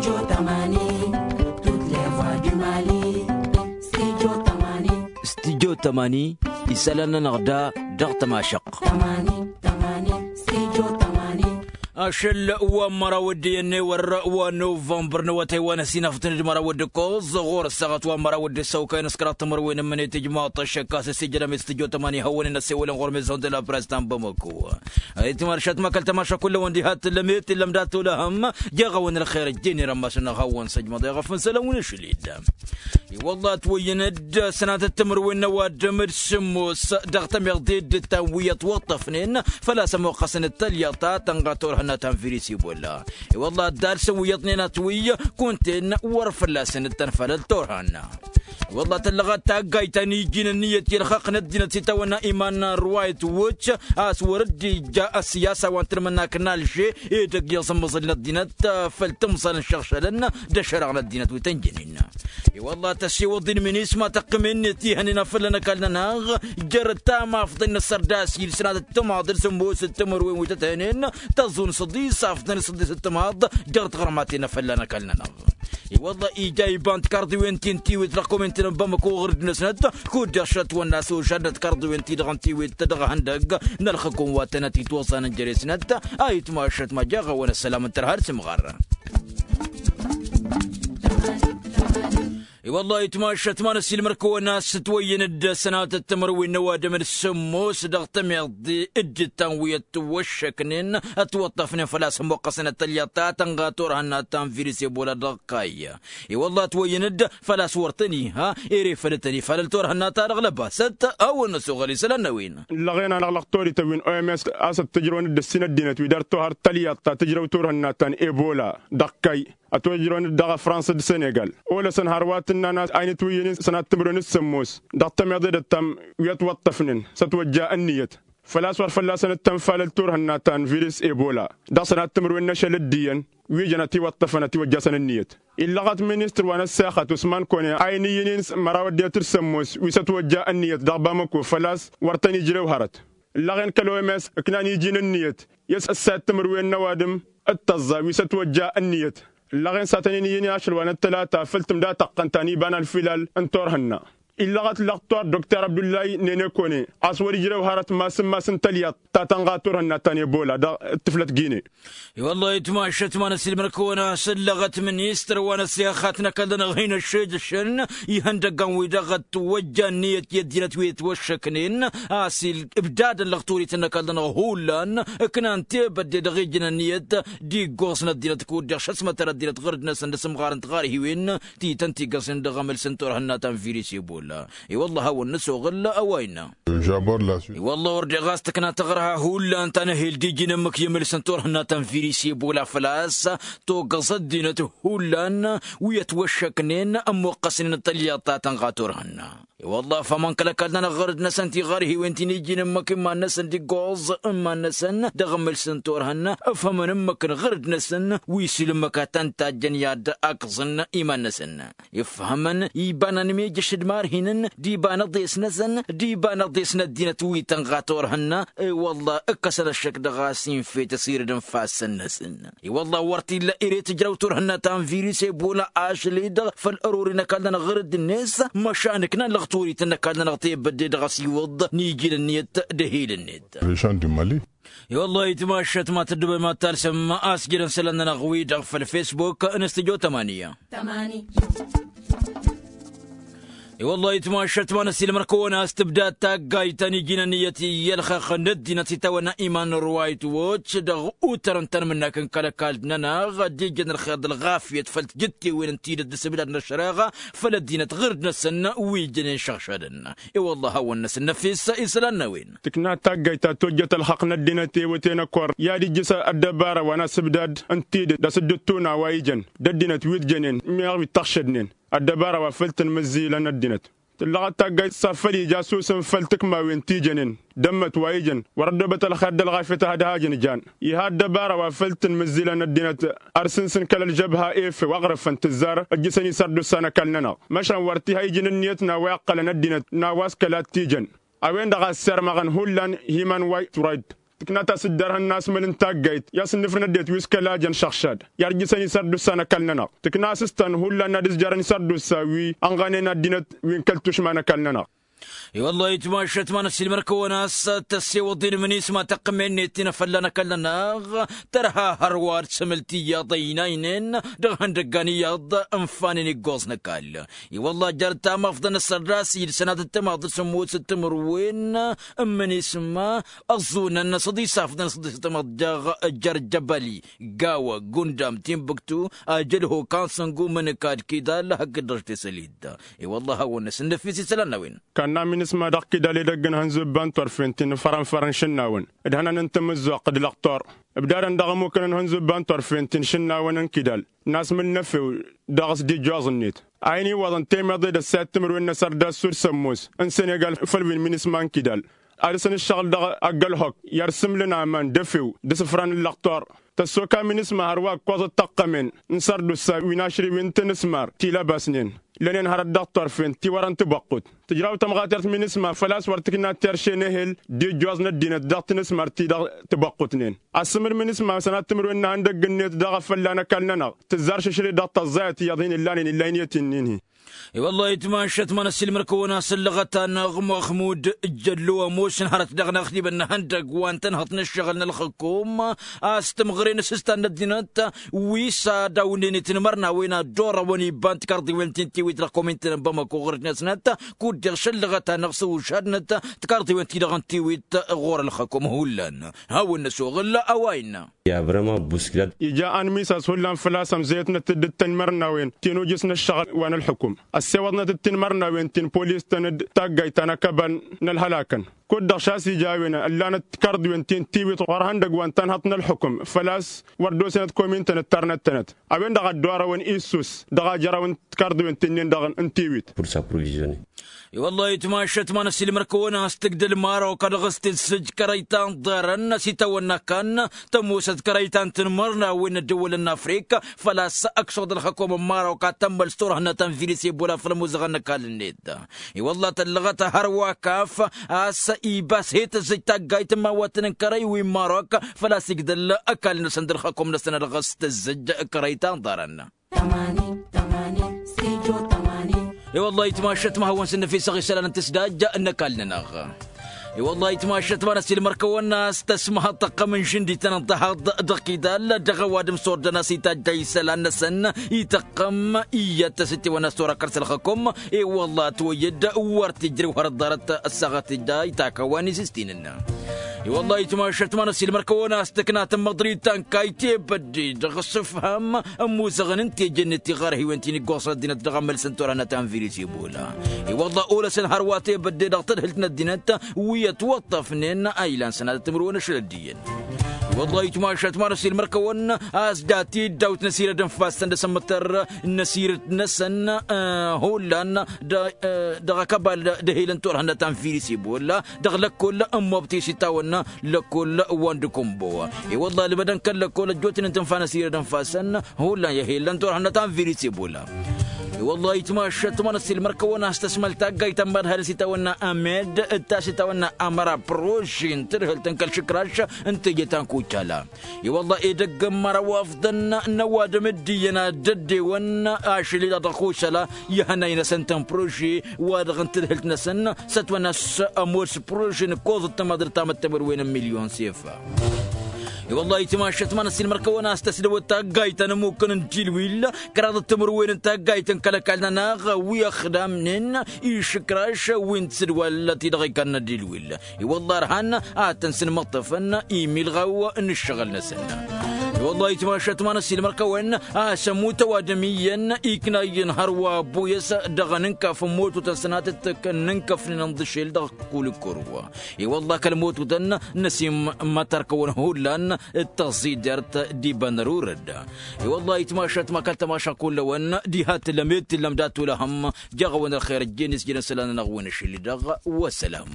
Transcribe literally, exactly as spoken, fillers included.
Studio tămani. Studio tămani. Isălan-nănăɣ da dăɣ-tămašăɣt. Ašăl wa n-măraw d-iyyăn n-ewăr wa n-novămbăr n-awătay wa n-ăsinafătăn d-măraw d-ǝkkoẓ ɣur-ăssaɣăt wa n-măraw d-ǝssăwkayăn s-kăraḍ timǝrwen n-imǝnit ijmaḍ-t ăššăk a-s ăsijădăm i-studio tămani hawăn-in ăssewălăn ɣur-mezon de la press ta n-bamăko. Ayǝtmašat ma kăl-tămaša kull-awăn diha t-tǝllăm i-t-tǝllăm dat-olăhăm. Jeɣ-awăn ălxer ăjjeen irămmašăn-năɣ hawăn-săjmăḍ i-ɣăf n-isălan wi n-ašăl-i-dd. I-wălla ătwăyyăn-dd sănatăt timǝrwen n-ăwadǝm d-sǝmmos dăɣ-tămiḍe d-ǝttan wi ătwăṭṭăfnen făl-a-s ămoqqăsăn d-tălyaḍt ta tănɣa turhǝnna ta n-virus ebola. I-wălla ăddalsăn wi iyyăḍnen atwǝy kunta-en wăr fălla-săn ǝttăn făll-turhǝnna. I-wălla tăllăɣăt taggayt ta n-iji n-ǝnniyăt i-ălxaqq n-ăddinăt s-itawănna iman n-ruwayăt wăcc a-s wăr dd-ija ăssiyasa wa n-tanmǝnnak n-alže edăgg iẓǝmmǝẓǝl n-ăddinăt făll-tǝmẓal n-išăɣšălăn d-ašăreɣ n-ăddinăt wi tăn-jănen. I-wălla tăssiwǝḍ-in minisma tăqqim-net ihănen a fălla n-ăkall-nănăɣ jer-ăttamafḍăn n-asărdas-i d-sănatăt timaḍ d-sǝmmos d-timǝrwen wi tăt-ihănen tăẓun săḍis afḍăn săḍis d-timaḍ jer-tiɣrǝmaten a fălla n-ăkall-nănăɣ. I-wălla ija iba n-tikarḍiwen ti n-tiwit dăɣ-kominten n-bamăko ɣǝrǝd-năsnăt kud-dăɣ šătwănna s-ožadnăt tikarḍiwen-ti-dăɣ n-tiwit dăɣ-ihăndăgg n-ălxǝkun wa tănăt-itwăẓẓanăn jere-snăt. A itmašăt ma jaɣ-awăn ăssălam n-tărha d-timɣar. I-wălla itmašăt ma n-ăssiilmăr-kăwăn a-s ǝtwăyyăn-dd sănatăt timǝrwen n-ăwadǝm d-sǝmmos dăɣ-tămiḍe d-ǝttan wi ătwăššăknen ătwăṭṭăfnen făl-a-s ămmuqqăsăn d-tălyaḍt ta tănɣa turhǝnna ta n-virus ebola dăɣ-kayy. I-wălla ătwăyyăn-dd făl-a-s wăr tăn-iha ere făll-tăn-ifal ălturhǝnna-ta-dăɣ lăbasăt. Hawăn-năsoɣăl isălan n-a-wen. Ǝllăɣen-anăɣ dăɣ-torităn wi n-oms a-s ăttǝjrăwăn-dd ǝssin ăddinăt wi dăr-tohăr tălyaḍt ta tǝjrăw turhǝnna ta n-ebola dăɣ-kayy. Ătwăjrăwăn-dd dăɣ-ăfrans d-senegal olăsăn hărwa tǝnnan a-s a inǝtwǝyyăn-in sănat timǝrwen s-sămmos dăɣ-tămiḍe d-ăttam wi ătwăṭṭăfnen s-ătwăjja ǝnniyăt făl-a-s wăr fălla-săn ǝttănfalăl turhǝnna ta n-virus ebola dăɣ-sănat timǝrwen n-ašăl d-iyyăn wi jăn ătiwăṭṭăfăn ătiwăjja-săn ǝnniyăt. Illăɣăt ministăr wa n-ăssexăt usman kone a inǝyyǝn-in măraw ăddinăt d-sămmos wi s-ătwăjja ǝnniyăt dăɣ-bamăko făl-a-s wăr tăn-ijrew hărăt. Ǝllăɣen kăl-oms ǝknan iji n-ǝnniyăt i-s ăssayăt timǝrwen n-ăwadǝm d-tăẓẓa wi s-ătwăjja ǝnniyăt. Ǝllăɣen s-ad-tăn-in-iyyǝn i-ašăl wa n-ăttălata făll-tǝmda tăqqăn ta n-iba n-ălfilal n-turhǝnna. Illăɣăt lăqtor doktor abdullahi nene kone a-s wăr-ijrew hărăt mass n-mass n-tălyaḍt ta tănɣa turhǝnna ta n-ebola dăɣ-tǝflăt gine. I-wăllah itmašăt ma n-ăsilmăr-kăwăn a-s ǝllăɣăt ministăr wa n-ăssexăt n-ăkall-nănăɣ hin-ăššejăšăn ihăndăggan-wi-dăɣ ătwăjja ǝnniyăt i-ăddinăt wi ătwăššăknen a-s ibdadăn lăɣturităn n-ăkall-nănăɣ hullan ǝknan tebădde dăɣ-ijăn ǝnniyăt d-iggoẓ n-ăddinăt kud-dăɣ šăsmătăr ăddinăt ɣǝrǝd-năsăn d-asǝmɣar n-tiɣarhiwen ti tăn-tigăẓnen dăɣ-amǝls n-turhǝnna ta n-virus ebola. I-wăllah a hawăn-nǝsoɣǝl a-wa innă. I-wăllah wăr deɣ a-s tǝkna taɣărha hullan ta n-ehel d-iji n-ǝmmǝk i-amǝls n-turhǝnna ta n-virus ebola făl-a-s togăẓ ăddinăt hullan wi ătwăššăknen ămmuqqăsnen tălyaḍt ta tănɣa turhǝnna. I-wăllah ǝfhămăn kăl-ăkall-nănăɣ ɣărăd-năsăn tiɣarhiwen ti n-iji n-ǝmmǝk iman-năsăn d-iggoẓ iman-năsăn dăɣ-amǝls n-turhǝnna ǝfhămăn ǝmmǝk n-ɣărăd-năsăn wi s-ila ǝmmǝk a tăn-tajjăn i-ad-ăkẓǝn iman-năsăn. Ifhămăn iba n-anmijăš d-imarhinăn d-iba n-aḍes-năsăn d-iba n-aḍes n-ăddinăt wi tănɣa turhǝnna. I-wăllah ǝkkăsăn ăššăk dăɣ-a-s infet ăsirǝd n-ifassăn-năsăn. I-wăllah wăr t-illa ere tǝjrăw turhǝnna ta n-virus ebola ašăl-i-dăɣ făll-ărori n-ăkall-nănăɣ ɣărăd-net. Măšan ǝknan lăɣturităn n-ăkall-nănăɣ tebădde dăɣ-asiwǝḍ n-iji n-ǝnniyăt d-ehil-net. Rišan d-imali. I-wăllah itmašăt ma tăddubem ad-talsăm a-s jădăn isălan-nănăɣ-wi-dăɣ făll-fesbuk n-stujo tămaniya. I-wăllah itmašăt ma n-ăsilmăr-kăwăn a-s tǝbdad taggayt ta n-iji n-ǝnniyăt i-ălxăqq n-ăddinăt itawănna iman n-ruwayt wăcc dăɣ-utărăn tanmǝnnak n-kăl-ăkall-nănăɣ d-ijăn ălxer d-ălɣafyăt făll-tijǝttewen n-tidǝt d-asǝbdad n-ăššăreɣa făll-ăddinăt ɣǝrǝd-năsăn wi ǝjjănen šăɣšadăn. I-wăllah a hawăn-năsǝnnăfis isălan n-a-wen. Tǝkna taggayt ta tojjăt ălxăqq n-ăddinăt ewăten ăkor i-ad-ijjǝs ăddăbara wa n-asǝbdad n-tidǝt d-asǝddǝttuna wa ijăn d-ăddinăt wi t-jănen meɣ wi t-ăɣšădnen ăddăbara wa făl tǝnmǝzzilăn ăddinăt. Tǝllăɣăt taggayt s-afăl ija susǝm făll-tǝkmawen ti jănen d-ămmăt wa ijăn wăr-ăddoobăt ălxer d-ălɣafyăt ad-hajăn jan iha ăddăbara wa făl tǝnmǝzzilăn ăddinăt. Ărsǝnsǝn kăl-ălžăbha efew aɣrǝf făll-tǝzzar ǝjjǝsăn isărdus a n-ăkall-nănăɣ măšan wăr t-iha iji n-ǝnniyăt n-a-wa iqqălăn ăddinăt n-a-wa s-kăla t-ijăn. A-wen-dăɣ a ăssirmăɣăn hullan himan wa i-turayt. tǝkna ta s-dd-ărhăn n-asmăl n-taggayt i-ad-sǝnnǝfrǝn ăddinăt wi s-kăla jăn šăɣšad i-ad-ǝjjǝsăn isărdusa n-ăkall-nănăɣ tǝkna a-s s-tăn hullan n-ad-ǝzjarăn isărdusa wi ănɣanen ăddinăt wi n-kăl-tušma n-ăkall-nănăɣ. I-wăllah itmašăt ma n-ăssiilmăr-kăwăn a-s tăssewăḍ-in minisma tăqqǝmen-net-in a fălla n-ăkall-nănăɣ tărha hărwa d-sămǝl tiyyăḍ ăynaynen dăɣ-ihăndăggan iyyăḍ ǝnfanen iggoẓ n-ăkall. I-wăllah jarăt tamafḍăn ăssărdas-i d-sănatăt tămaḍ d-sămmosăt timǝrwen n-minisma ăẓẓunăn s-ad-isafḍăn s-ad-isafḍăn dăɣ-jărjăbăli gawa gundam timbuktu ajălho kansăngu mǝnǝkad kidal hakd-dăɣ tesălidda. I-wăllah a-wen-năs n-năfis isălan n-a-wen. Kanna minisma dăɣ-kidal edăgg n-hănzubba n-turfen ti n-fărănfărăn šǝnnawăn d-hănan n-tamǝzzuɣt d-lăqtor ǝbdadăn dăɣ-ămmukăn n-hănzubba n-turfen ti n-šǝnnawăn n-kidal n-asmǝl n-efew dăɣ-s d-ijjoẓ-net a hin-iwwăḍăn temeḍe d-ăssayăt timǝrwen n-asărdas s-ud-sămmos n-senegal făll-wi n-minisma n-kidal ad-dăr-săn ǝššăɣǝl dăɣ-ăggălhok i-ad-sǝmlǝn aman d-efew d-isǝfran n-lăqtor. Tăssoka minisma hărwa ǝkkoẓăt tăqqămen n-sărdusa wi n-ašriwen n-tinǝsmar ti lăbasnen lănen hărăt dăɣ-turfen ti wărăn tibăqqut tǝjraw tămɣatert minisma făl-a-s wăr tǝkna terše n-ehel d-ijjoẓ n-ăddinăt dăɣ-tinǝsmar ti dăɣ-tibăqqutnen. Asǝmǝl minisma sănat timǝrwen n-ihăndăgg-net dăɣ-afălla n-ăkall-nănăɣ tǝzzar šǝšre dăɣ-tăẓẓayăt iyyăḍ hin-illanen illayniyăt-in-in-hi. I-wăllah itmašăt ma n-ăssiilmăr-kăwăn a-s ǝllăɣăt-anăɣ muxmud jăllo ămoos n-hărăt dăɣ-năɣ tidǝbăn n-ihăndăgg wa n-tănhăḍt n-ǝššăɣǝl n-ălxǝkum a-s tǝmɣăren asǝstan n-ăddinăt wi s-ad-awnen i-tinmărnawen ad-dd-orăwăn ibba n-tikarḍiwen ti n-tiwit dăɣ-komintăn n-bamako ɣur-năsnăt kud-deɣ šăllăɣăt-anăɣ s-ušadnăt tikarḍiwen-ti-dăɣ n-tiwit ɣur-ălxǝkum hullan. Hawăn-năsoɣǝl a-wa innă. Ija anmis a-s hullan făl-a-s ămzăyătnăt-dd d-tinmărnawen ti n-ujǝs n-ǝššăɣǝl wa n-ălxǝkum ăssewăḍnăt d-tinmărnawen ti n-polis-tăn d-taggayt ta n-akăbal n-ălhălakăn. Kud-dăɣ šas ija a-wen ăllanăt tikarḍiwen ti n-tiwit ɣur-ihăndăgg wa n-tanhăḍt n-ălxǝkum făl-a-s wăr dd-osănăt komintăn ǝttarnăt-tănăt a-wen-dăɣ a dd-orăwăn issus dăɣ-ajărăw n-tikarḍiwen ti-nin-dăɣ n-tiwit. I-wăllah itmašăt ma n-ăssiilmăr-kăwăn a-s tǝgdăl marok a dăɣ-s tǝzzǝj kărăy ta n-ḍarăn s-itawănna kan tămoosăt kărăy ta n-tinmărnawen n-ăddăwălăn n-afrik făl-a-s ăksuɣ d-ălxăkom n-marok ad-tămmăl s-turhǝnna ta n-virus ebola făll-ămuzăɣăn n-ăkall-net. I-wăllah tăllăɣăt hărwa kaf a-s ibas he-tǝzzǝj taggayt n-imawatăn n-kărăy wi n-marok făl-a-s igdăl ăkall-năsăn d-ălxăkom-năsăn a dăɣ-s tǝzzǝj kărăy ta n-ḍarăn. I-wăllah itmašăt ma hawăn s-năfisăɣ isălan n-tǝsdajja n-ăkall-nănăɣ. I-wăllah itmašăt ma n-ăsilmăr-kăwăn a-s tăsmăhăḍ tăqqăm n-žǝndităn n-tăhaḍ dăɣ-kidal dăɣ-ăwadǝm s-ordăn a-s itajj isălan-năsăn ităqqăm iyyăt s-ǝttewăn a-s tora kăr-sălxăkum. I-wăllah ătwăyyăd wăr t-ijrew hărăt ḍarăt ăssaɣăt ija itakăwăn isǝstinăn. I-wăllah itmašăt ma n-ăsilmăr-kăwăn a-s tǝkna tǝmmăḍrit ta n-kayt i-bădde dăɣ-s ǝfhăm ămmuzăɣăn n-teje-net tiɣărhiwen ti n-iggoẓ ăddinăt dăɣ-amălsăn turhănăt ta n-virus ebola. I-wăllah olăsăn hărwa tebădde dăɣ-tadhǝlt n-ăddinăt wi ătwăṭṭăfnen a ilan sănatăt timǝrwen ašăl ăddiyăn. I-wăllah itmašăt ma n-ăsilmăr-kăwăn a-s dat-i dd-awt n-asirăd n-ifassăn d-asămmătăr n-asirăd-năsăn hullan dăɣ-akăbal d-ehel n-turhănăt ta n-virus ebola dăɣ-lăkkol n-mobti s-itawănna lăkkol wa n-dăkumbo. I-wăllah ălbădăn kăl-lăkkol ăjjootnen tǝnfa n-asirăd n-ifassăn hullan i-ehel n-turhănăt ta n-virus ebola. I-wăllah itmašăt ma n-ăsilmăr-kăwăn a-s tăsmăl taggayt ta n-madhal s-itawănna amed d-ta s-itawănna amăra prožin tǝdhǝlt n-kăl-išǝkraš n-teje ta n-kucala. I-wăllah edăgg n-măraw afḍăn n-ăwadǝm dd-iyyăn ad-dd-ăddewăn ašăl-i-dăɣ dăɣ-kušăla ihănay-năsăn tăn-prože wa dăɣ-n tǝdhǝlt-năsăn s-ătwănna a-s ămoos prože n-ǝkkoẓăt tămaḍrǝt tamăttămărwen n-milyon sefa. I-wăllah itmašăt ma n-ăsilmăr-kăwăn a-s tăsdăwăt taggayt ta n-ămmukăn n-dilwil kăraḍăt timǝrwen n-taggayt n-kăl-ăkall-nănăɣ wi ăxdamnen išǝkraš wi n-tisǝdwal ti-dăɣ ikarnă dilwil. I-wăllah ărhan ad-tăn-sǝnmăṭṭăfăn imilɣaw n-ǝššăɣǝl-năsăn. I-wăllah itmašăt ma n-ăsilmăr-kăwăn a-s ămut ăwadǝm iyyăn ikna iyyăn hărwa ăbbu-yăs dăɣ-anǝnkaf n-mototăn sănatăt n-inkăfnen ǝnḍǝšel dăɣ-kul ǝkkur. I-wăllah kăl-mototăn n-ăsimmătăr-kăwăn hullan d-tăẓidert d-iba n-ărurăd. I-wăllah itmašăt ma kăl-tămaša kull-ăwăn diha tǝllăm ed tǝllăm dat-olăhăm. Jaɣ-awăn ălxer ăjjeen isjădăn isălan-nănăɣ wi n-ašăl-i-dăɣ. Wăssălam.